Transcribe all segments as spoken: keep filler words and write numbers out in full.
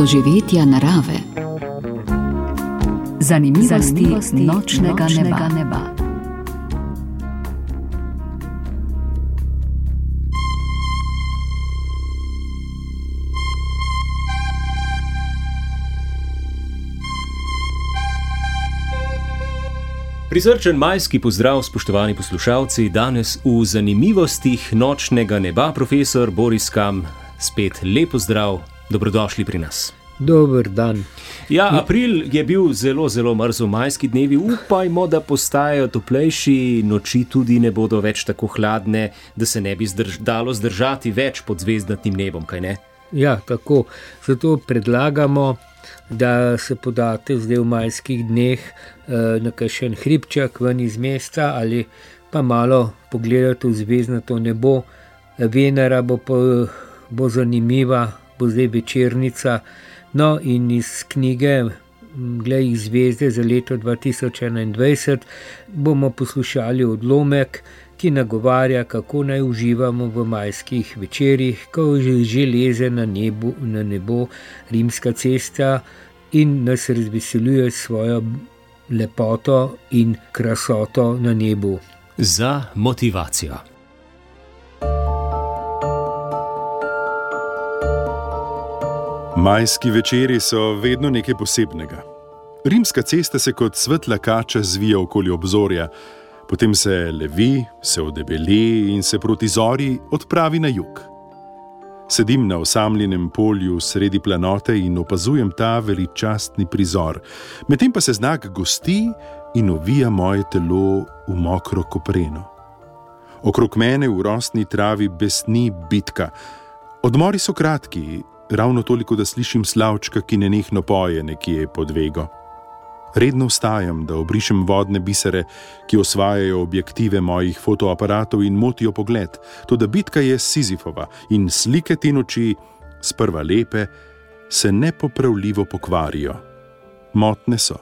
doživetja narave. Zanimivosti, Zanimivosti nočnega, nočnega neba. neba. Prisrčen majski pozdrav, spoštovani poslušalci, danes v Zanimivostih nočnega neba, profesor Boris Kam, spet lep pozdrav, dobrodošli pri nas. Dober dan. Ja, april je bil zelo, zelo mrzel, majski dnevi, upajmo, da postajajo toplejši, noči tudi ne bodo več tako hladne, da se ne bi zdrž- dalo zdržati več pod zvezdnatim nebom, kaj ne? Ja, tako. Zato predlagamo, da se podate zdaj v majskih dneh na kakšen hribček ven iz mesta ali pa malo pogledati v zvezdnato nebo. Venera bo, po, bo zanimiva, bo zdaj večernica. No in iz knjige Glej jih zvezde za leto dva tisoč enaindvajset bomo poslušali odlomek, ki nagovarja, kako naj uživamo v majskih večerjih, ko že leze na, nebu, na nebo rimska cesta in nas razveseljuje svojo lepoto in krasoto na nebu. Za motivacijo. Majski večeri so vedno nekaj posebnega. Rimska cesta se kot svetla kača zvija okoli obzorja, potem se levi, se odebeli in se proti zori odpravi na jug. Sedim na osamljenem polju sredi planote in opazujem ta veličastni prizor, medtem pa se znak gosti in ovija moje telo v mokro kopreno. Okrog mene v rosni travi besni bitka. Odmori so kratki, ravno toliko, da slišim slavčka, ki nenehno poje nekje pod vego. Redno vstajam, da obrišem vodne bisere, ki osvajajo objektive mojih fotoaparatov in motijo pogled, toda bitka je Sizifova in slike te noči, sprva lepe, se nepopravljivo pokvarijo. Motne so,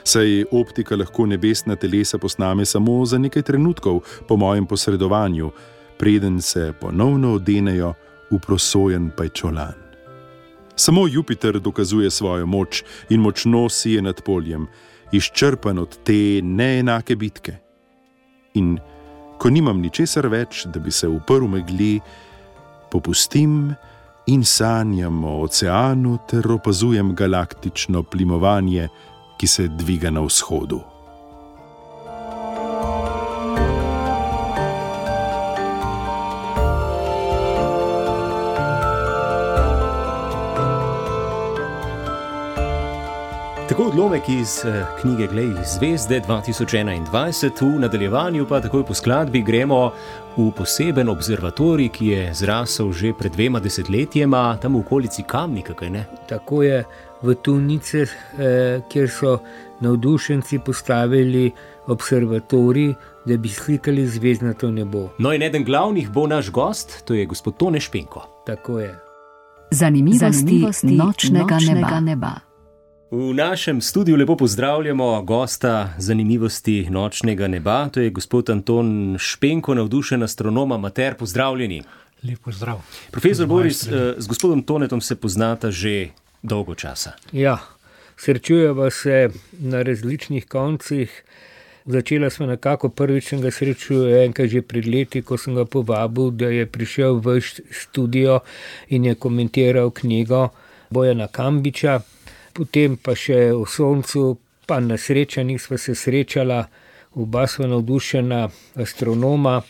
saj optika lahko nebesna telesa posname samo za nekaj trenutkov po mojem posredovanju, preden se ponovno odenejo v prosojen pajčolan. Samo Jupiter dokazuje svojo moč in močno sije nad poljem, izčrpan od te neenake bitke. In ko nimam ničesar več, da bi se uprl megli, popustim in sanjam o oceanu ter opazujem galaktično plimovanje, ki se dviga na vzhodu. Tako odlomek iz knjige Glej jih zvezde dva tisoč enaindvajset, v nadaljevanju pa takoj po skladbi gremo v poseben observatorij, ki je zrasel že pred dvema desetletjema, tam v okolici Kamnika, kaj ne? Tako je, v Tunice, eh, kjer so navdušenci postavili observatorij, da bi slikali zvezdnato nebo. No in eden glavnih bo naš gost, to je gospod Tone Špenko. Tako je. Zanimivosti, Zanimivosti nočnega, nočnega neba. neba. V našem studiu lepo pozdravljamo gosta Zanimivosti nočnega neba, to je gospod Anton Špenko, navdušen astronom, amater, pozdravljeni. Lep pozdrav. Profesor Boris, z gospodom Tonetom se poznata že dolgo časa. Ja, srečujeva se na različnih koncih. Začela smo nekako prvič, sem ga srečil enkrat že pred leti, ko sem ga povabil, da je prišel v studio in je komentiral knjigo Bojana Kambiča. Potem pa še o soncu, pa na srečanjih sva se srečala, oba sva navdušena astronoma.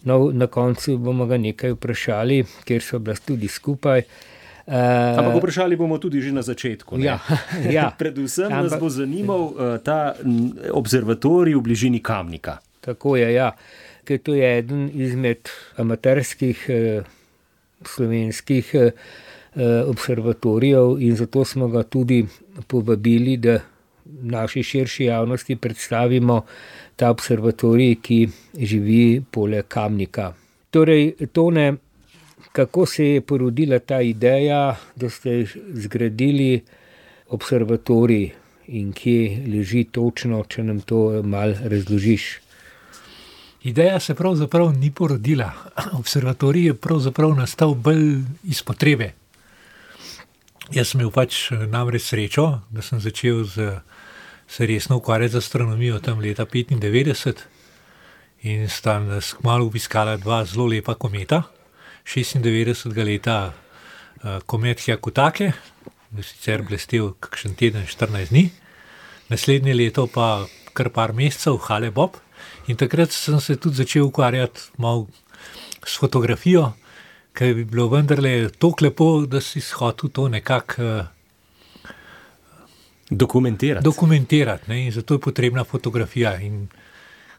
No, na koncu bomo ga nekaj vprašali, ker so bila tudi skupaj. Uh, Ampak vprašali bomo tudi že na začetku. Ne? Ja, ja. Predvsem nas bo zanimal uh, ta observatorij v bližini Kamnika. Tako je, ja. Ker to je eden izmed amaterskih uh, slovenskih uh, observatorijev in zato smo ga tudi povabili, da naši širši javnosti predstavimo ta observatorij, ki živi poleg Kamnika. Torej, Tone, kako se je porodila ta ideja, da ste zgradili observatorij in kje leži točno, če nam to malo razložiš? Ideja se pravzaprav ni porodila. Observatorij je pravzaprav nastal bolj iz potrebe. Jaz sem imel pač namreč srečo, da sem začel z, se resno ukvarjati z astronomijo tam leta petindevetdeset in sta nas kmalu obiskala dva zelo lepa kometa. šestindevetdesetega leta uh, komet Hyakutake, sicer blestel kakšen teden, štirinajst dni, naslednje leto pa kar par mesecev Hale-Bopp in takrat sem se tudi začel ukvarjati malo s fotografijo, ker bi bilo vendarle toliko lepo, da si hotel to nekako uh, dokumentirati. dokumentirati ne? In zato je potrebna fotografija. In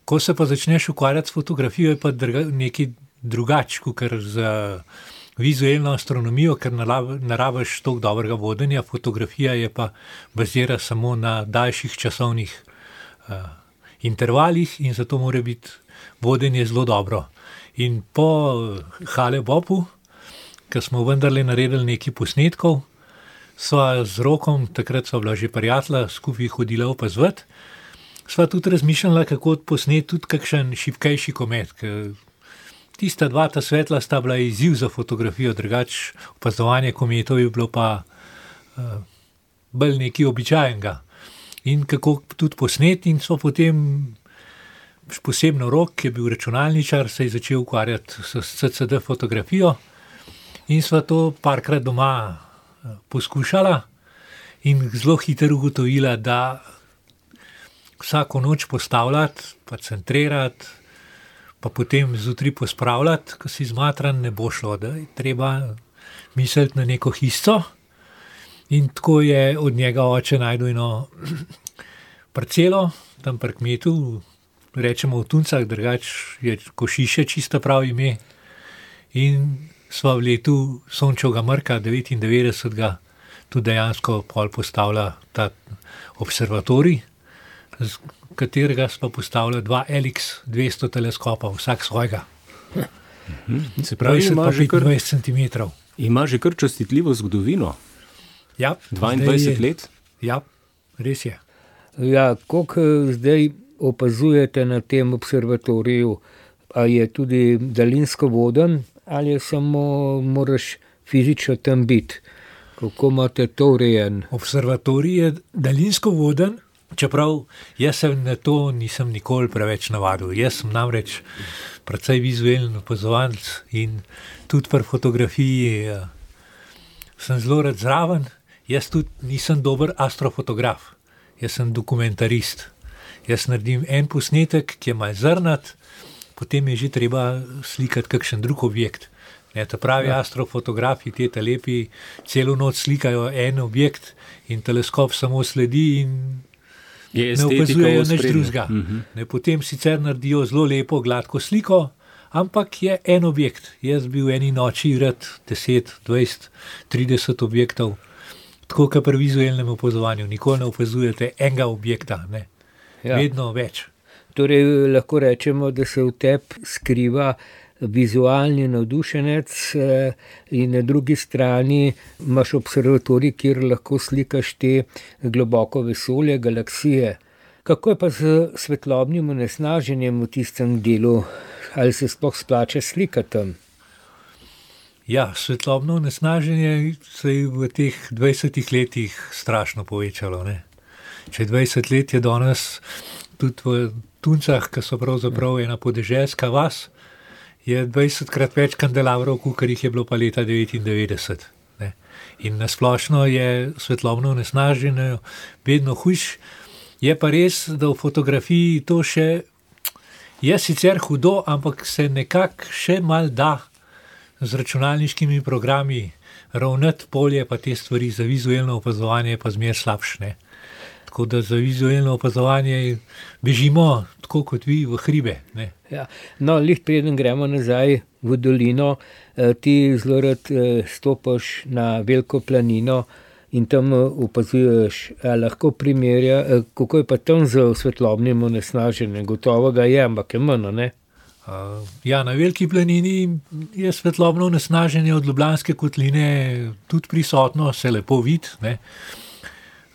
ko se pa začneš ukvarjati s fotografijo, je pa drga, nekaj drugače, kot za vizualno astronomijo, ker narabiš toliko dobrega vodenja, fotografija je pa bazira samo na daljših časovnih uh, intervalih in zato mora biti vodenje zelo dobro. In po Hale-Boppu, ko smo vendarle naredili nekaj posnetkov, sva z Rokom, takrat sva bila že prijatelja, skupaj hodila opazovati, sva tudi razmišljala, kako posneti tudi kakšen šibkejši komet, ker tista dva ta svetla sta bila izziv za fotografijo, drugače opazovanje kometov je bilo pa uh, bolj nekaj običajenega. In kako tudi posneti, in so potem posebno Rok, ki je bil računalničar, se je začel ukvarjati s C C D fotografijo in sva to parkrat doma poskušala in zelo hitro ugotovila, da vsako noč postavljati, pa centrirati, pa potem zjutraj pospravljati, ko si zmatran, ne bo šlo, da je treba misliti na neko hišco. In tako je od njega oče najdel eno parcelo, tam pri kmetu, rečemo v Tuncah, drugače je Košiše čisto prav ime. In sva v letu Sončevega mrka devetindevetdesetega tudi dejansko pol postavila ta observatorij, z katerega sva postavila dva L X dvesto teleskopa, vsak svojega. Se pravi, ima že kar petindvajset centimetrov. Ima že kar častitljivo zgodovino. Ja, dvaindvajset let? Ja, res je. Ja, koliko zdaj opazujete na tem observatoriju, a je tudi daljinsko voden ali je samo moraš fizično tam biti? Kako imate to urejen? Observatorij je daljinsko voden, čeprav jaz se na to nisem nikoli preveč navadil. Jaz sem namreč precej vizualen opazovalec in tudi pri fotografiji eh, sem zelo rad zraven. Jaz tudi nisem dober astrofotograf, jaz sem dokumentarist. Jaz naredim en posnetek, ki je malo zrnat, potem je že treba slikati kakšen drug objekt. Ne, ta pravi ja. Astrofotografi, te te lepi, celo noč slikajo en objekt in teleskop samo sledi in je ne opazujejo nič drugega. Uh-huh. Potem sicer naredijo zelo lepo, gladko sliko, ampak je en objekt. Jaz bi v eni noči rad deset, dvajset, trideset objektov, tako kot pri vizualnem opazovanju. Nikoli ne opazujete enega objekta, ne. Ja. Vedno več. Torej lahko rečemo, da se v tebi skriva vizualni navdušenec in na drugi strani imaš observatorij, kjer lahko slikaš te globoko vesolje, galaksije. Kako je pa z svetlobnim onesnaženjem v tistem delu? Ali se sploh splača slikati tam? Ja, svetlobno onesnaženje se je v teh dvajsetih letih strašno povečalo. Ne? Če dvajset let je danes tudi v Tuncah, ki so pravzaprav ena podeželska vas, je dvajsetkrat več kandelavrov, kot jih je bilo pa leta devetindevetdeset. Ne? In nasplošno je svetlobno onesnaženje vedno hujš. Je pa res, da v fotografiji to še je sicer hudo, ampak se nekako še mal da z računalniškimi programi ravnati polje, pa te stvari za vizualno opazovanje pa zmer slabšne. Tako da za vizualno opazovanje bežimo, tako kot vi, v hribe. Ne? Ja. No, lih preden gremo nazaj v dolino, ti zelo rad stopaš na veliko planino in tam opazuješ, lahko primerja, kako je pa tam z svetlobnim onesnaženjem. Gotovo ga je, ampak je manj, ne? Uh, ja, na veliki planini je svetlobno onesnaženje od Ljubljanske kotline tudi prisotno, se lepo vidi, ne.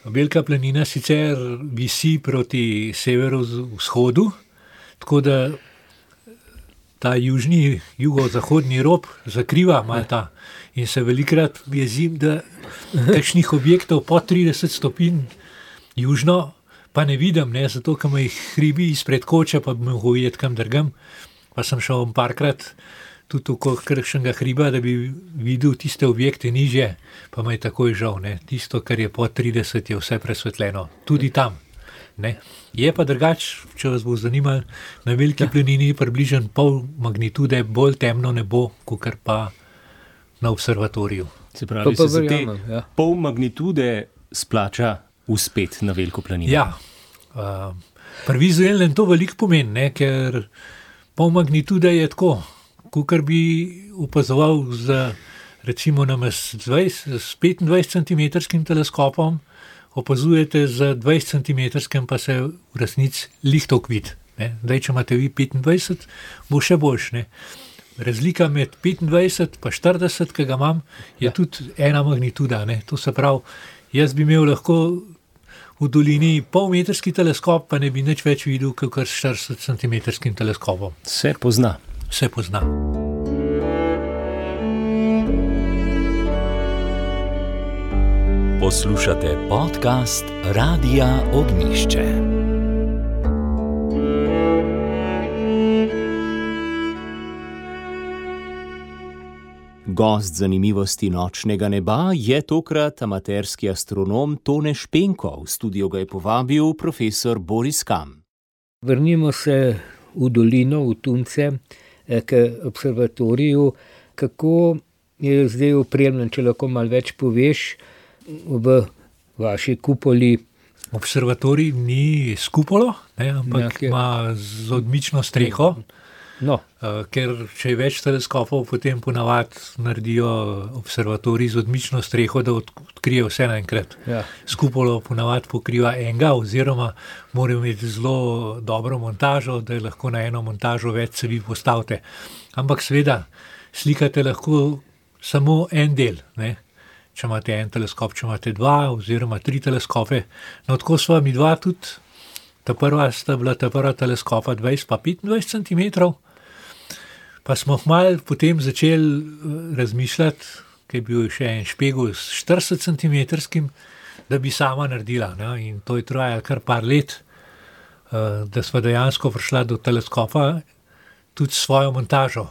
Velika planina sicer visi proti severovzhodu, tako da ta južni, jugozahodni rob zakriva malo ta. In se velikrat jezim, da kakšnih objektov po trideset stopinj južno pa ne vidim, ne, zato ker me hribi izpred koče, pa bi mogel videti kam drgam. Pa sem šel parkrat tudi okoli kakšnega hriba, da bi videl tiste objekte nižje, pa me je takoj žal. Ne. Tisto, kar je po trideset, je vse presvetljeno. Tudi tam. Ne. Je pa drugač, če vas bo zanimalo, na Veliki ja. planini približno pol magnitude bolj temno nebo, kakor pa na observatoriju. Se pravi, pa pa se te ja. pol magnitude splača uspet na Veliko planino. Ja, uh, pri vizualnem to veliko pomeni, ne, ker pol magnitude je tako, kakor bi opazoval z, recimo s petindvajset centimetrskim teleskopom, opazujete z dvajset centimetrskim, pa se v resnici lihtok vid. Zdaj, če imate vi petindvajset, bo še boljš. Ne. Razlika med petindvajset pa štirideset, ki ga imam, je ja. tudi ena magnituda. Ne. To se pravi, jaz bi imel lahko v dolini polmetrski teleskop, pa ne bi nič več videl, kakor s štirideset centimetrskim teleskopom. Se pozna. Se pozna. Poslušate podcast Radia Ognjišče. Gost zanimivosti nočnega neba je tokrat amaterski astronom Tone Špenko. V studio ga je povabil profesor Boris Kam. Vrnimo se v dolino, v Tunce, k observatoriju. Kako je zdaj opremljen, če lahko malo več poveš, v vaši kupoli? Observatorij ni s kupolo, ne, ampak ja, ima z odmično streho. No. Uh, ker če je več teleskopov, potem ponavadi naredijo observatorij z odmično streho, da odkrije vse naenkrat. Ja. S kupolo ponavadi pokriva enega, oziroma morajo imeti zelo dobro montažo, da lahko na eno montažo več cevi postavite. Ampak seveda, slikate lahko samo en del, ne? Če imate en teleskop, če imate dva, oziroma tri teleskope. No, tako sva mi dva tudi, ta prva sta bila ta prva teleskopa dvajset pa petindvajset centimetrov, pa smo malo potem začeli razmišljati, ker je bil še en špegel s štirideset centimetrskim, da bi sama naredila. Ne? In to je trajalo kar par let, da sva dejansko prišla do teleskopa tudi s svojo montažo.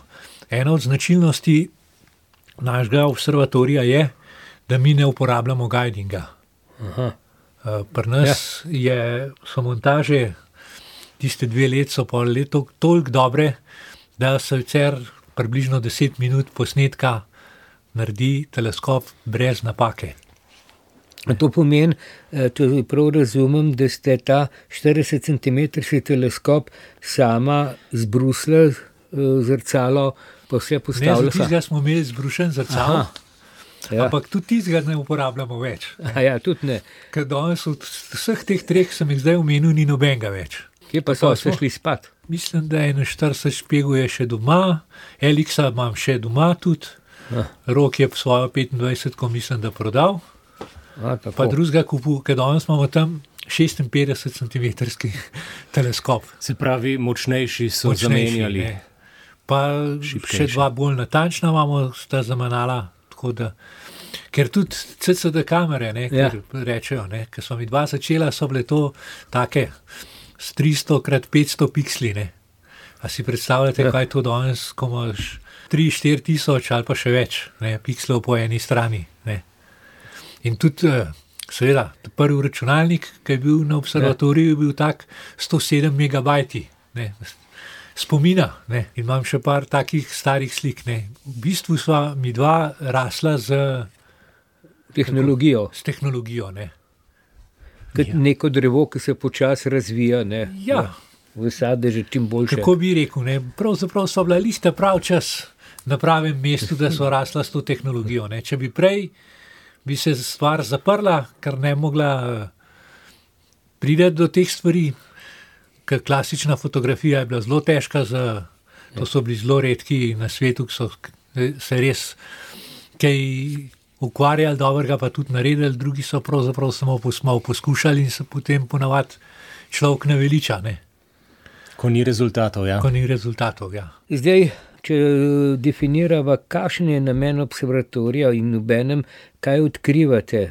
Ena od značilnosti našega observatorija je, da mi ne uporabljamo guidinga. Aha. Pri nas ja. je, so montaže, tiste dve let so pol leto toliko dobre, da se vcer približno deset minut posnetka naredi teleskop brez napake. To pomeni, če prav razumem, da ste ta štirideset centimetrski teleskop sama zbrusla zrcalo, pa vse postavila. Ne, za tistega smo imeli zbrušen zrcalo. Aha. Ja. Ampak tudi tistega ne uporabljamo več. A ja, tudi ne. Ker danes od vseh teh treh sem jih zdaj omenil, ni nobenega več. Kje pa so se šli spat? Mislim, da je štirideset špegov je še doma, Elixa imam še doma tudi, ah. Rok je svojo petindvajset, ko mislim, da prodal, A, pa drugega kupil, ker danes imamo tam šestinpetdeset centimetrski teleskop. Se pravi, močnejši so močnejši, zamenjali. Ne. Pa šipkejši. Še dva bolj natančna imamo, sta zamenjala. Da, ker tudi C C D kamere, ne, ja. rečejo, ne, ker smo mi dva začela, so bile to take s tristo krat petsto piksli. Ne. A si predstavljate, ja. kaj to danes, ko imaš tri štiri tisoč ali pa še več ne, pikslov po eni strani. Ne. In tudi, seveda, prvi računalnik, ki je bil na observatoriju, je bil tak sto sedem megabajti. Ne. Spomina, ne, in imam še par takih starih slik, ne. V bistvu sva mi dva rasla z tehnologijo. Tako, s tehnologijo, ne. Kot ja. neko drevo, ki se počasi razvija, ne. Ja. V sadeže čim boljše. Kako bi rekel, ne, pravzaprav sva bila lista prav čas na pravem mestu, da sva rasla s to tehnologijo, ne. Če bi prej, bi se stvar zaprla, ker ne mogla priti do teh stvari. Ker klasična fotografija je bila zelo težka, za, to so bili zelo redki na svetu, ki so se res kaj ukvarjali dobrega, pa tudi naredili, drugi so pravzaprav samo posmal poskušali in se potem ponavadi človek naveliča. Ne? Ko ni rezultatov, ja. Ko ni rezultatov, ja. Zdaj, če definirava, kakšen je namen observatorija in obenem, kaj odkrivate,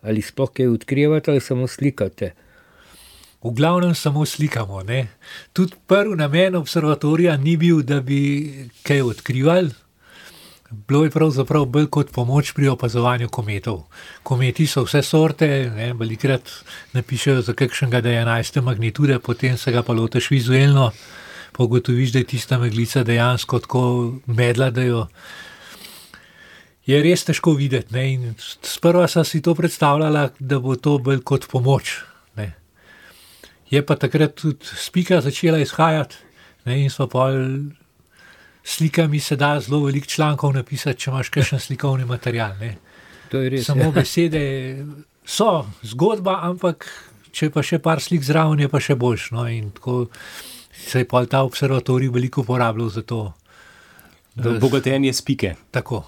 ali sploh kaj odkrivate ali samo slikate? V glavnem samo slikamo, ne. Tudi prvi namen observatorija ni bil, da bi kaj odkrivali. Bilo je pravzaprav bolj kot pomoč pri opazovanju kometov. Kometi so vse sorte, ne, velikrat napišejo za kakšnega, da je enajste magnitude, potem se ga pa lotiš vizuelno, pa ugotoviš, da je tista meglica dejansko tako medla, da jo je res težko videti, ne. In sprva sem si to predstavljala, da bo to bolj kot pomoč, ne. Je pa takrat tudi spika začela izhajati, ne, in so pol slikami se da zelo veliko člankov napisati, če imaš kakšen slikovni material, ne. To je res, Samo ja. besede so zgodba, ampak če pa še par slik zraven, je pa še boljš, no, in tako se je pol ta observatorij veliko uporabljal za to. Da, Bogatenje spike. tako.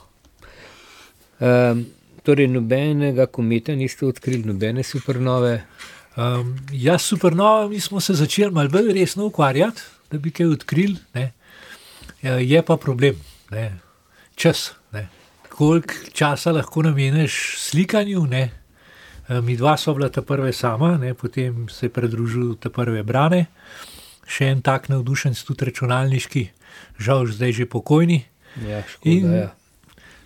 Um, torej, nobenega kometa niste odkrili, nobene supernove? Um, ja, s supernovami smo se začeli malo bolj resno ukvarjati, da bi kaj odkrili, ne. Je pa problem, ne. Čas, ne. Koliko časa lahko nameniš slikanju, ne. Mi dva so bila ta prve sama, ne, potem se je pridružil ta prve Brane, še en tak navdušenc, tudi računalniški, žal zdaj že pokojni. Ja, škoda, In ja.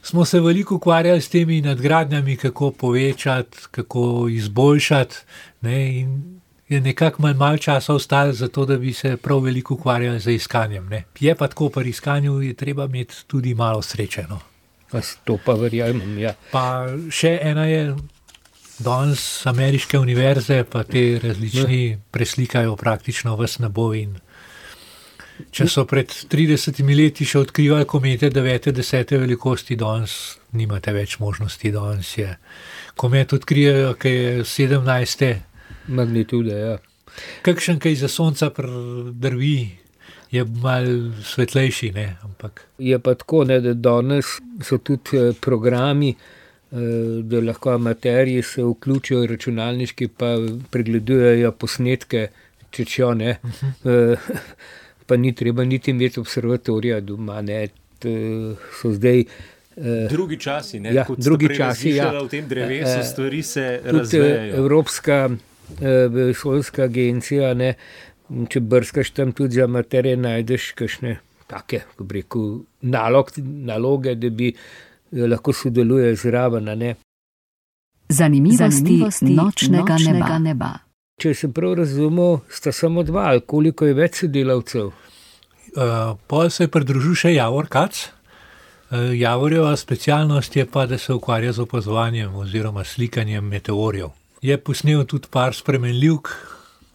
smo se veliko ukvarjali s temi nadgradnjami, kako povečati, kako izboljšati, ne, in je nekako malo mal časa ostalo za to, da bi se prav veliko ukvarjali z iskanjem, ne. Je pa tako, pri iskanju je treba imeti tudi malo sreče, no. To pa verjamem, ja. Pa še ena je, danes ameriške univerze, pa te različni preslikajo praktično ves nebo in če so pred tridesetimi leti še odkrivali komete devete, desete velikosti, danes nimate več možnosti, danes je komet odkrijejo, ki je sedemnajste Magnitude, ja. Kakšen, ki za sonca drvi, je malo svetlejši, ne, ampak. Je pa tako, ne, da danes so tudi programi, da lahko amaterji se vključijo v računalniški, pa pregledujejo posnetke, če čo, ne. Uh-huh. Pa ni treba niti imeti observatorija doma, ne. So zdaj Drugi časi, ne, ja, kot drugi ste prej časi, ja. razmišljali o tem drevesu, stvari se Tudi razvejajo. Evropska vesoljska agencija, ne, če brskaš tam tudi za amaterje, najdeš kakšne take, ko bi rekel, nalog, naloge, da bi lahko sodeluje zraven, ne. Zanimivosti, Zanimivosti nočnega, nočnega neba. neba. Če sem prav razumel, sta samo dva, ali koliko je več sodelavcev? Uh, pol se je pridružil še Javor Kac. Uh, Javorjeva specialnost je pa, da se ukvarja z opazovanjem oziroma slikanjem meteorjev. Je posnel tudi par spremenljivk,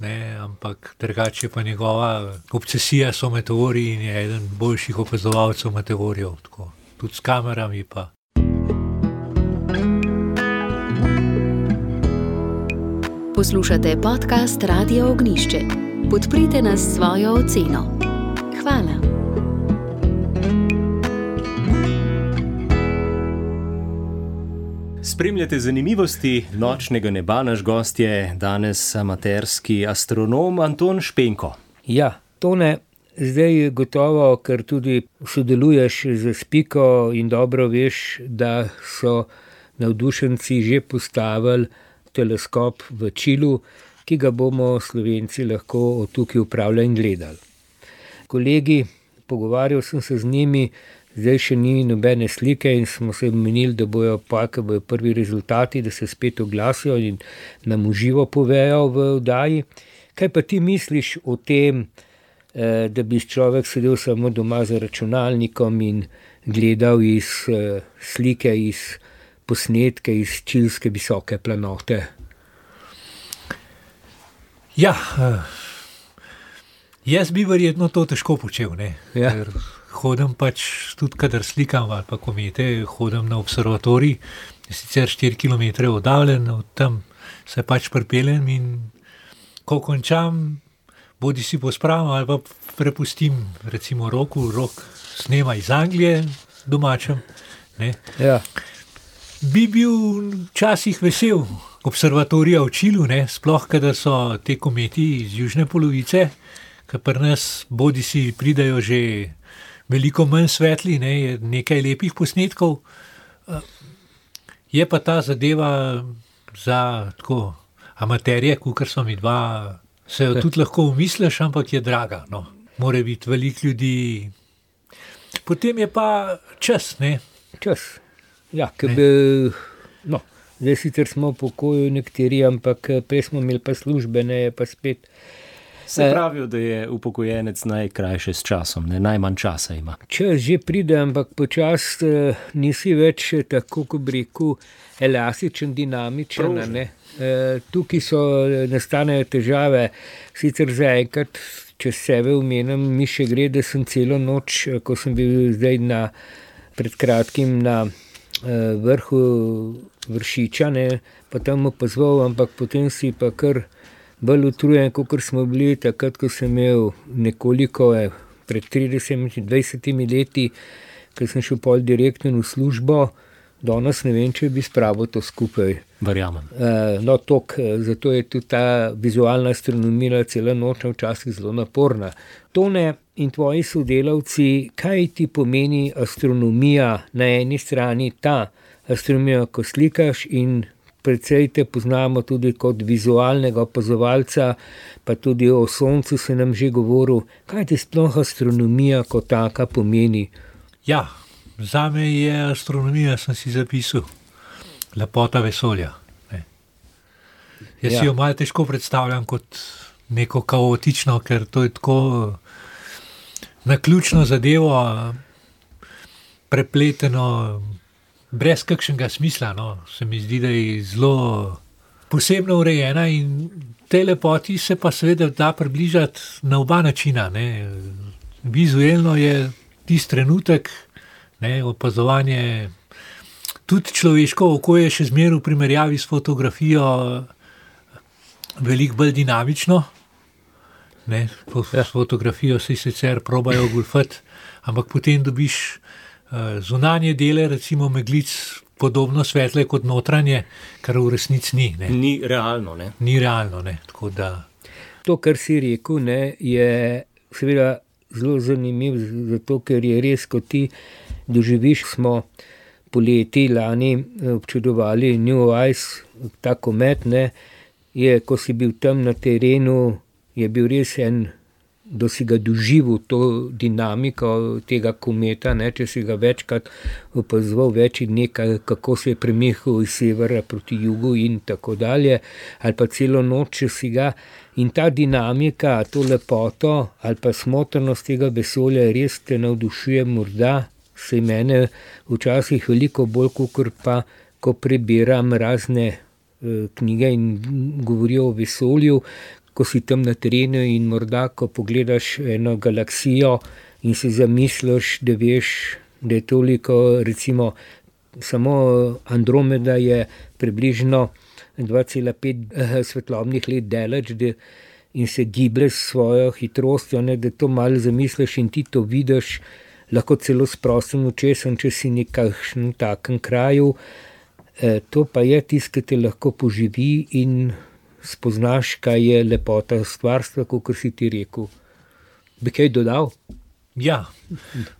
ne, ampak drugače pa njegova obsesija so meteorji in je eden boljših opazovalcev meteorjev, tako, tudi s kamerami pa. Poslušate podcast Radio Ognišče. Podprite nas s svojo oceno. Hvala. Spremljate zanimivosti nočnega neba, naš gost je danes amaterski astronom Anton Špenko. Ja, Tone, zdaj gotovo, ker tudi sodeluješ z Spiko in dobro veš, da so navdušenci že postavili teleskop v Čilu, ki ga bomo Slovenci lahko od tukaj upravljali in gledali. Kolegi, pogovarjal sem se z njimi, zdaj še ni nobene slike in smo se menili, da bojo pa, ko bojo prvi rezultati, da se spet oglasijo in nam v živo povejo v oddaji. Kaj pa ti misliš o tem, da bi človek sedel samo doma za računalnikom in gledal iz slike, iz posnetke, iz čilske visoke planote? Ja, jaz bi verjetno to težko počel, ne. Ja. Ker hodim pač, tudi kadar slikam ali pa komete, hodim na observatorij, sicer štiri kilometre oddaljen, od tam se pač pripeljem in ko končam, bodi si pospravim ali pa prepustim recimo Roku, Rok snema iz Anglije domačem, ne. Ja. Bi bil včasih vesel observatorija v Čilu, ne, sploh kadar so te kometi iz južne polovice, ker pri nas bodi si pridajo že veliko manj svetli, ne, je nekaj lepih posnetkov. Je pa ta zadeva za tako amaterje, kakor so mi dva, se jo tudi lahko umisliš, ampak je draga. No. Mora biti veliko ljudi. Potem je pa čas, ne? Čas. Ja, ker bi, no, zdaj sicer smo v pokoju nekateri, ampak prej smo imeli pa službe, ne, pa spet. Se pravijo, da je upokojenec najkrajše s časom, ne, najmanj časa ima. Čas že pride, ampak počas uh, nisi več tako, ko bi rekel, elastičen, dinamičen. Ne. Uh, tukaj so nastanejo težave, sicer zaenkrat, če sebe omenim, mi še gre, da sem celo noč, ko sem bil zdaj na, pred kratkim na uh, vrhu Vršiča, ne, pa tam opazoval, ampak potem si pa kar bolj utrujen, kot smo bili takrat, ko sem imel nekoliko eh, pred tridesetimi, dvajsetimi leti, ko sem šel pol direktno v službo, danes ne vem, če bi spravil to skupaj. Verjamem. Uh, no, tok, zato je tudi ta vizualna astronomija cela nočna včasih zelo naporna. Tone in tvoji sodelavci, kaj ti pomeni astronomija na eni strani, ta astronomija, ko slikaš in predvsej te poznamo tudi kot vizualnega opazovalca, pa tudi o soncu se nam že govoril. Kaj ti sploh astronomija kot taka pomeni? Ja, zame je astronomija, sem si zapisal, lepota vesolja. Ne. Jaz ja. si jo malo težko predstavljam kot neko kaotično, ker to je tako naključno zadevo, prepleteno, brez kakšnega smisla, no. Se mi zdi, da je zelo posebno urejena in tej lepoti se pa seveda da približati na oba načina. Ne. Vizuelno je tisti trenutek, ne, opazovanje, tudi človeško oko je še zmeraj v primerjavi s fotografijo veliko bolj dinamično. Ne. S fotografijo se sicer probajo golfati, ampak potem dobiš zunanje dele, recimo meglic, podobno svetle kot notranje, kar v resnici ni. Ne. Ni realno, ne? Ni realno, ne. Tako da... To, kar si rekel, ne, je seveda zelo zanimiv, zato ker je res, ko ti doživiš, smo poleti lani občudovali New Eyes, ta komet, ne, je, ko si bil tam na terenu, je bil res en, da si ga doživel to dinamiko tega kometa, ne, če si ga večkrat opazoval več in nekaj, kako se je premikal iz severa proti jugu in tako dalje, ali pa celo noč, če si ga, in ta dinamika, to lepoto ali pa smotrnost tega vesolja res te navdušuje, morda se mene včasih veliko bolj, kakor pa, ko prebiram razne eh, knjige in govorijo o vesolju, ko si tam na terenu in morda, ko pogledaš eno galaksijo in si zamisliš, da veš, da je toliko, recimo, samo Andromeda je približno dva cela pet svetlobnih let daleč, da, in se giblje s svojo hitrostjo, ne, da to malo zamisliš in ti to vidiš, lahko celo s prostim očesom, če si nekakšnem takem kraju. E, to pa je tisto, ki te lahko poživi in spoznaš, kaj je lepota stvarstva, kot si ti rekel. Bi kaj dodal? Ja,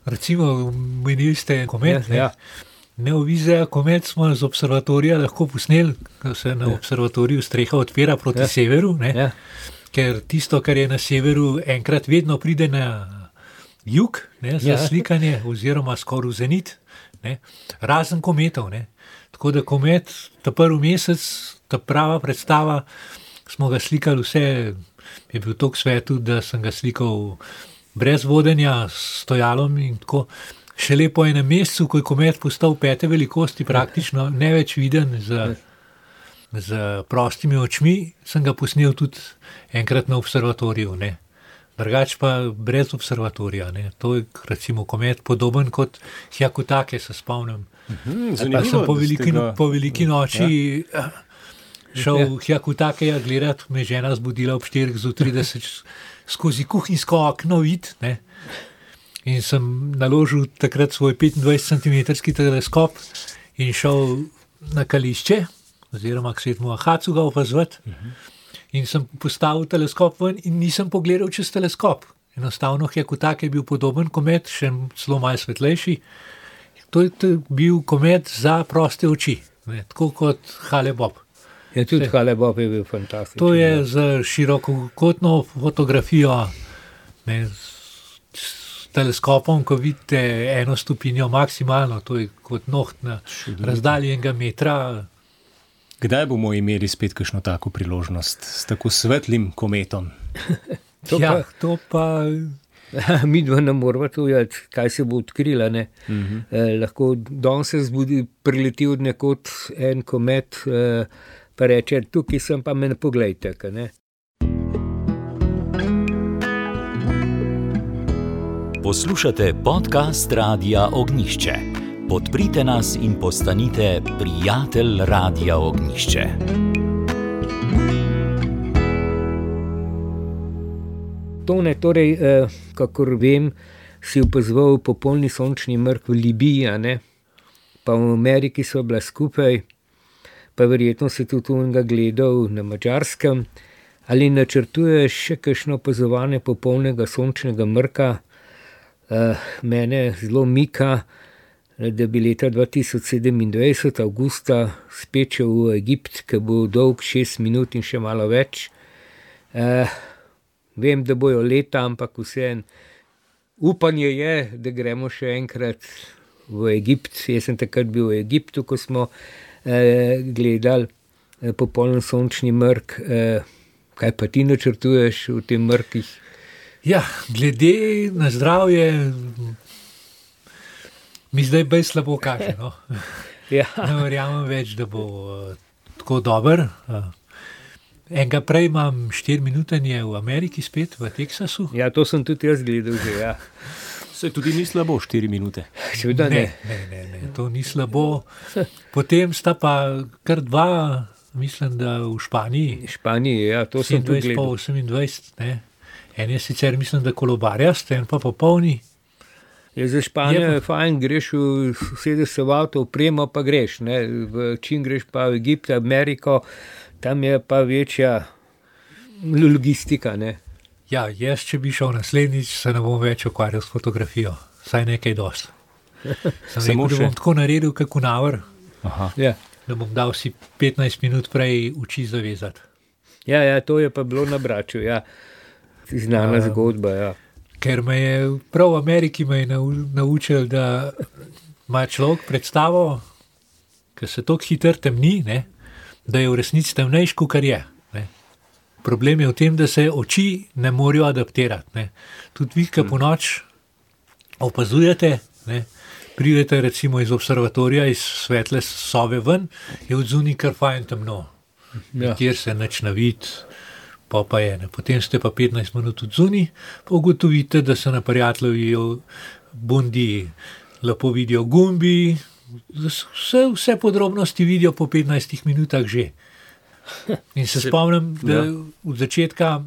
recimo, menili ste komet. Ja, ja. Neovizija komet smo z observatorija lahko posneli, ko se na ja. observatoriju streha odpira proti ja. severu, ne? Ja. Ker tisto, kar je na severu, enkrat vedno pride na jug, ne, za ja. slikanje, oziroma skoraj v zenit, ne? Razen kometov. Ne? Tako da komet, ta prvi mesec, ta prava predstava, smo ga slikali vse, je bil toliko svetu, da sem ga slikal brez vodenja, s stojalom in tako. Šele po enem mesecu, ko je komet postal pete velikosti, praktično ne več viden z, z prostimi očmi, sem ga posnel tudi enkrat na observatoriju. Ne. Drugač pa brez observatorija. Ne. To je recimo komet podoben kot Hyakutake, se spomnim. Mhm, pa sem po veliki, ga... po veliki noči... Ja. Šel v Hyakutakeja gledati, me žena zbudila ob štirih z trideset skozi kuhinjsko okno vid, ne. In sem naložil takrat svoj petindvajset centimetrski teleskop in šel na Kališče, oziroma k Svetemu Ahacu ga opazovati. In sem postavil teleskop ven in nisem pogledal čez teleskop. Enostavno Hekutak je bil podoben komet, še celo malo svetlejši. To je bil komet za proste oči, ne, tako kot Hale-Bopp. Ja, tudi Hale-Bopp je bil fantastičen. To je z širokokotno fotografijo, ne, s teleskopom, ko vidite eno stopinjo maksimalno, to je kot noht na razdalji enega metra. Kdaj bomo imeli spet kakšno tako priložnost s tako svetlim kometom? To ja, pa, to pa... mi dva ne moramo tujati, kaj se bo odkrila. Ne? Uh-huh. Eh, lahko danes se zbudi, prileti od nekod en komet, eh, pa reče, tukaj sem, pa me ne poglejte. Ne? Poslušate podcast Radia Ognišče. Podprite nas in postanite prijatelj Radia Ognišče. Tone, torej, eh, kakor vem, si opazoval popolni sončni mrk v Libiji, ne? Pa v Ameriki so bila skupaj, pa verjetno si tudi unga gledal na Madžarskem. Ali načrtuješ še kakšno opazovanje popolnega sončnega mrka? Eh, mene zelo mika, da bi leta dva tisoč sedemindvajset, avgusta, spet šel v Egipt, ki bo dolg šest minut in še malo več. Eh, Vem, da bojo leta, ampak vseeno upanje je, da gremo še enkrat v Egipt. Jaz sem takrat bil v Egiptu, ko smo eh, gledali eh, popoln sončni mrk. Eh, kaj pa ti načrtuješ v tem mrkih? Ja, glede na zdravje mi zdaj bej slabo kaže. No? Ja. Ne verjamem več, da bo uh, tako dober. Uh, Enega prej imam štiri minutanje v Ameriki spet, v Teksasu. Ja, to sem tudi jaz gledal že, ja. Se tudi ni slabo, štiri minute. Seveda ne. Ne, ne, ne, to ni slabo. Potem sta pa kar dva, mislim, da v Španiji. Španiji, ja, to sem tudi sedemindvajset pa gledal. osemindvajset, ne. En je sicer, mislim, da kolobarjast, en pa popolni. Ja, za Španijo Je je fajn, greš v sedeš se v avto, opremo pa greš, ne. V čim greš pa v Egipt, Ameriko, tam je pa večja logistika, ne. Ja, jaz, če bi šel naslednjič, se ne bom več ukvarjal s fotografijo. Saj nekaj dosti. Sem Samo rekel, da še. bom tako naredil, kako navr, Aha. Ja. da bom dal si petnajst minut prej oči zavezati. Ja, ja, to je pa bilo na Braču, ja. Znana Ja. zgodba, ja. Ker me je prav v Ameriki me je nau- naučil, da ima človek predstavo, ker se tako hitro temni, ne, da je v resnici temnejš, kot je. Ne. Problem je v tem, da se oči ne morejo adaptirati. Ne. Tudi vi, ki po noč opazujete, ne, pridete recimo iz observatorija, iz svetle sobe ven, je od zunaj kar fajn temno, Ja. kjer se nič ne vidi. Pa pa je, ne. Potem ste pa petnajst minut od zunaj, pa ugotovite, da se na prijatelju bundi lepo vidijo gumbi, vse, vse podrobnosti vidijo po petnajstih minutah že. In se spomnim, da ja. od začetka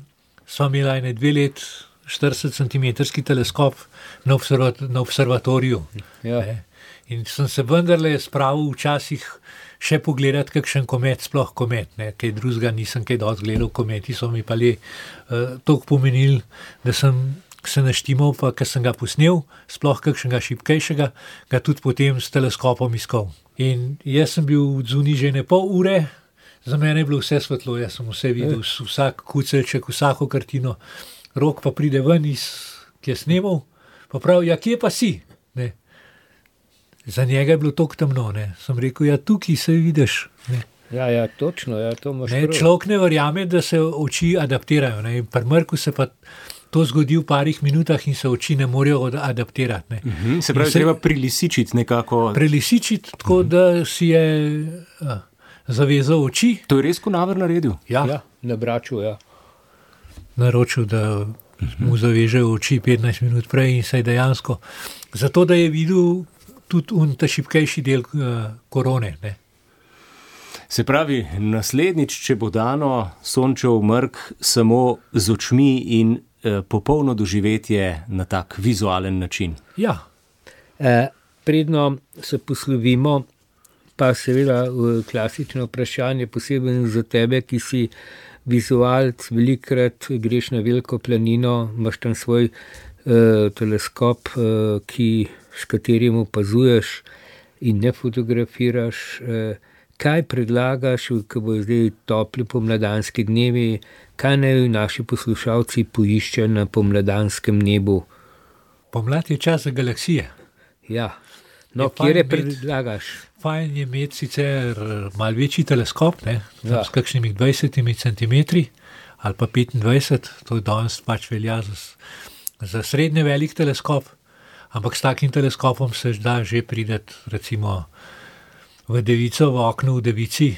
sva imela ene dve let štirideset centimetrski teleskop na, observat, na observatoriju. Ja. Ne. In sem se vendarle spravil včasih še pogledati kakšen komet, sploh komet, ne, kaj drugega nisem kaj dosti gledal, kometi so mi pa le uh, toliko pomenili, da sem se naštimal, pa ker sem ga posnel, sploh kakšnega šibkejšega, ga tudi potem s teleskopom iskal. In jaz sem bil v zunaj že ne pol ure, za mene je bilo vse svetlo, jaz sem vse videl, vsak kuceljček, vsako kartino, Rok pa pride ven iz, ki je snemal, pa pravi, ja, kje pa si? Ne. Za njega je bilo toliko temno, ne. Sem rekel, ja, tukaj se vidiš. Ne. Ja, ja, točno, ja, to imaš Ne, prav. človek ne verjame, da se oči adaptirajo. Ne. In pri mrku se pa to zgodi v parih minutah in se oči ne morejo od- adaptirati. Ne. Mhm, se pravi, In se- treba prilisičiti nekako. Prelisičiti tako, da si je a, zavezal oči, To je res Kunaver naredil. ja, Ja, na Braču, ja. naročil, da mu zavežejo oči petnajst minut prej in se je dejansko, zato da je videl tudi un ta šibkejši del uh, korone. Ne. Se pravi, naslednjič, če bo dano sončev mrk samo z očmi in eh, popolno doživetje na tak vizualen način. Ja, Eh, predno se poslovimo, pa seveda v klasično vprašanje, posebej za tebe, ki si vizualc, velikrat greš na veliko planino, imaš tam svoj uh, teleskop, uh, ki, s katerim opazuješ in ne fotografiraš. Uh, kaj predlagaš, ko bo zdaj topli pomladanski dnevi, kaj naj naši poslušalci poiščejo na pomladanskem nebu? Pomlad je čas za galaksije. Ja, no, kjer je predlagaš? Fajn je imeti sicer malo večji teleskop, ne, Ja. s kakšnimi dvajsetimi centimetri ali pa petindvajset, to je danes pač velja za, za srednje velik teleskop, ampak s takim teleskopom se da že prideti recimo v devico, v okno v devici,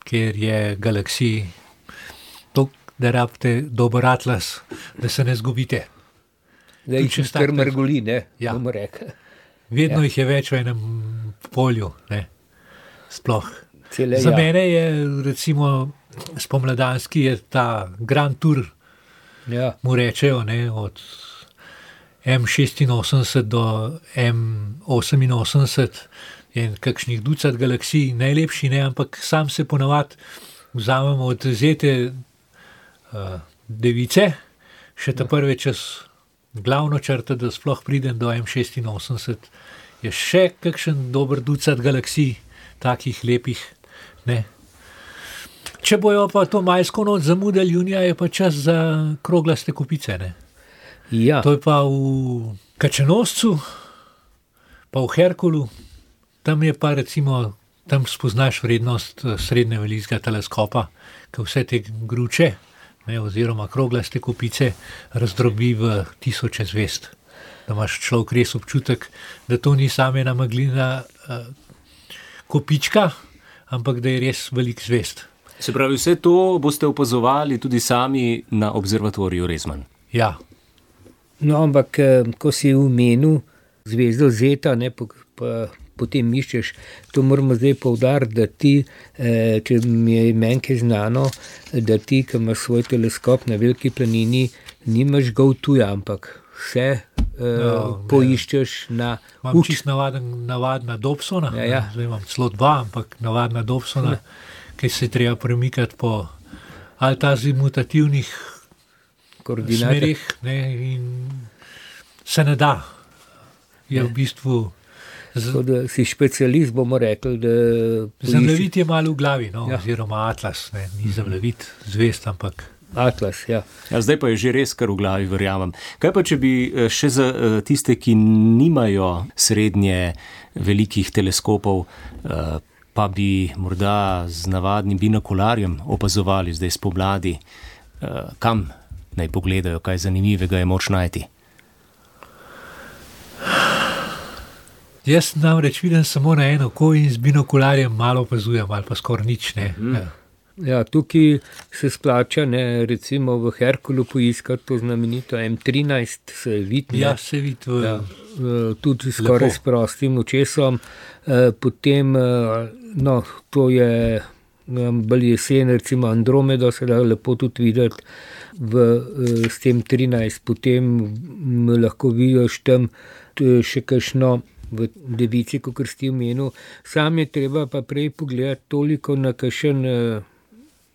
kjer je galaksij toliko, da rabite dober atlas, da se ne zgubite. Da jih Tudi če kar tak- mrgoli, ne, Ja. bomo rekli. Vedno Ja. jih je več v enem polju, ne, sploh. Cele, Za ja. mene je recimo spomladanski je ta Grand Tour, Ja. mu rečejo, ne, od M šestinosemdeset do M oseminosemdeset, je kakšnih ducat galaksij, najlepši ne, ampak sam se ponavadi vzamemo od zete uh, device, še ta prve čez glavno črto, da sploh pridem do M šestinosemdeset, je še kakšen dober ducat galaksij, takih lepih, ne. Če bojo pa to majsko noč zamudili junija, je pa čas za kroglaste kupice, ne. Ja. To je pa v Kačenoscu, pa v Herkulu, tam je pa recimo, tam spoznaš vrednost eh, srednje velikega teleskopa, ki vse te gruče, ne, oziroma kroglaste kupice razdrobi v tisoče zvezd. Da imaš človek res občutek, da to ni samo ena meglina uh, kopička, ampak da je res velik zvezd. Se pravi, vse to boste opazovali tudi sami na observatoriju Rezman. Ja, No, ampak eh, ko si omenil zvezdo Zeta, ne, pa, pa potem iščeš, to moramo zdaj poudariti, da ti, eh, če mi je menjke znano, da ti, ki imaš svoj teleskop na veliki planini, nimaš ga v tuja, ampak vse eh, ne. poiščeš na imam uč. čist navaden, navadna Dobsona, Ja, ja. ne, zdaj imam celo dva, ampak navadna Dobsona, ki se je treba premikati po ali ta zimutativnih Koordinate. smerih, ne, in se ne da. Je v bistvu z- Tako da si specialist, bomo rekli, da poiščeš zemljevid je malo v glavi, no, Ja. oziroma atlas, ne, ni zemljevid zvest, ampak atlas, ja. Ja, zdaj pa je že res kar v glavi, verjamem. Kaj pa, če bi eh, še za eh, tiste, ki nimajo srednje velikih teleskopov, eh, pa bi morda z navadnim binokularjem opazovali zdaj spomladi, eh, kam naj pogledajo, kaj zanimivega je moč najti? jaz namreč vidim samo na eno oko in z binokularjem malo opazujem, ali pa skoraj nič, ne. Ja. Ja, tukaj se splača, ne, recimo v Herkulu poiskati to znamenito M trinajst, se vidi, Ja, se vidi v ja, eh, tudi skoraj Lepo. s prostim očesom. Eh, Potem, eh, no, to je um, bolj jesen, recimo Andromedo se da lepo tudi videti v, eh, s tem trinajst. Potem m, lahko vidiš tam t- še kakšno v devici, kot si omenil. Sam je treba pa prej pogledati toliko na kakšen eh,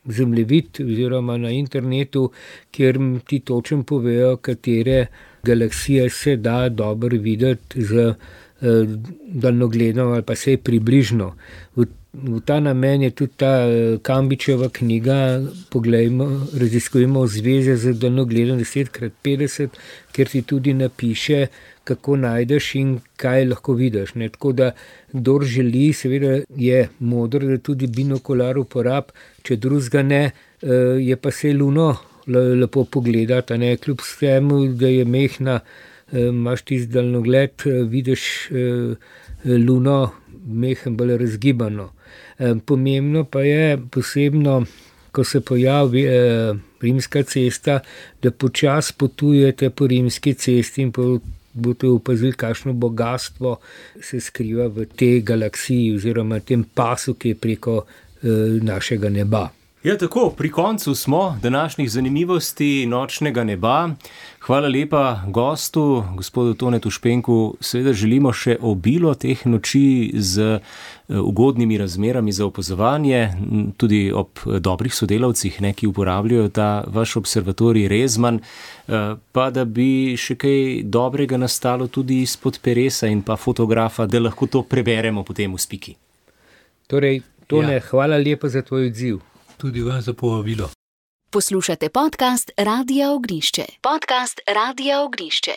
zemljevid oziroma na internetu, kjer m- ti točno povejo, katere galaksije se da dobro videti z eh, daljnogledom ali pa vsaj približno. V, v ta namen je tudi ta eh, Kambičeva knjiga Poglejmo, raziskujemo zveze z daljnogledom deset krat petdeset, kjer ti tudi napiše, kako najdeš in kaj lahko vidiš. Ne? Tako da, kdor želi, seveda je modro, da tudi binokular uporab, če drugega ne, eh, je pa se luno le- lepo pogledati, a ne, kljub vsemu, da je mehna, eh, imaš tisti daljnogled, eh, vidiš eh, luno mehen bolj razgibano. Eh, Pomembno pa je posebno, ko se pojavi eh, rimska cesta, da počasi potujete po rimski cesti in po boste opazili, kakšno bogatstvo se skriva v tej galaksiji oziroma tem pasu, ki je preko eh, našega neba. Ja, tako, pri koncu smo današnjih zanimivosti nočnega neba. Hvala lepa gostu, gospodu Tonetu Špenku. Seveda želimo še obilo teh noči z ugodnimi razmerami za opazovanje, tudi ob dobrih sodelavcih, ne, ki uporabljajo ta vaš observatorij Rezman, pa da bi še kaj dobrega nastalo tudi izpod peresa in pa fotografa, da lahko to preberemo potem v spiki. Torej, Tone, ja. Hvala lepa za tvoj odziv. Tudi vam za povabilo. Poslušate podcast Radia Ognišče. Podcast Radia Ognišče.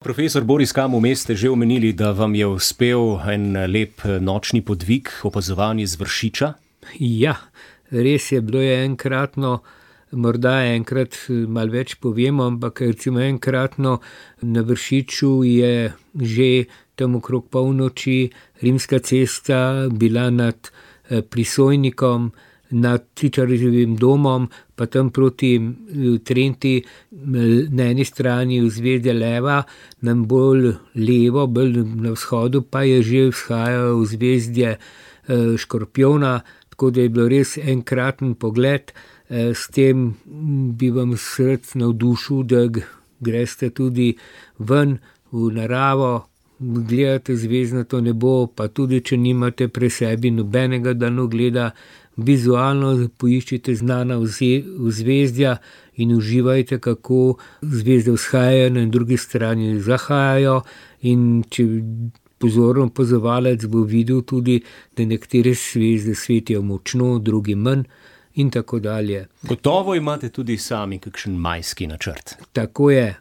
Profesor Boris Kam, vmes ste že omenili, da vam je uspel en lep nočni podvig, opazovanje z Vršiča? Ja, res je, bilo je enkratno, morda enkrat malo več povemo, ampak recimo enkratno na Vršiču je že tam okrog polnoči Rimska cesta bila nad Prisojnikom, nad Cičarjevim domom, pa tam proti Trenti, na eni strani vzvezje leva, nam bolj levo, bolj na vzhodu, pa je že vzhajalo vzvezje Škorpijona, tako da je bilo res enkraten pogled. S tem bi vam srce navdušil, da greste tudi ven v naravo, gledate zvezdnato nebo, pa tudi če nimate pri sebi nobenega daljnogleda, vizualno poiščite znana vzvezdja in uživajte, kako zvezde vzhajajo, na drugi strani zahajajo, in če pozorno opazovalec bo videl tudi, da nekatere zvezde svetijo močno, drugi manj in tako dalje. Gotovo imate tudi sami kakšen majski načrt. Tako je.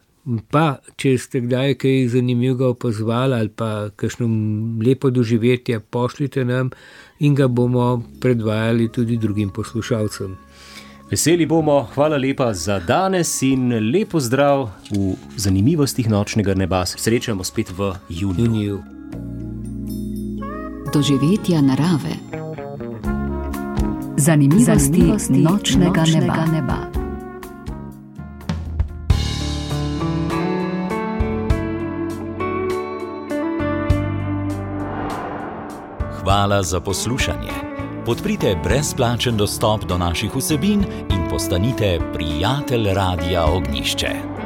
Pa, če ste kdaj kaj zanimivega opazovali ali pa kakšno lepo doživetje, pošljite nam in ga bomo predvajali tudi drugim poslušalcem. Veseli bomo, hvala lepa za danes in lepo zdrav v zanimivostih nočnega neba. Srečamo spet v juniju. juniju. Doživetja narave. Zanimivosti, Zanimivosti nočnega, nočnega neba. neba. Hvala za poslušanje. Podprite brezplačen dostop do naših vsebin in postanite prijatelj Radia Ognišče.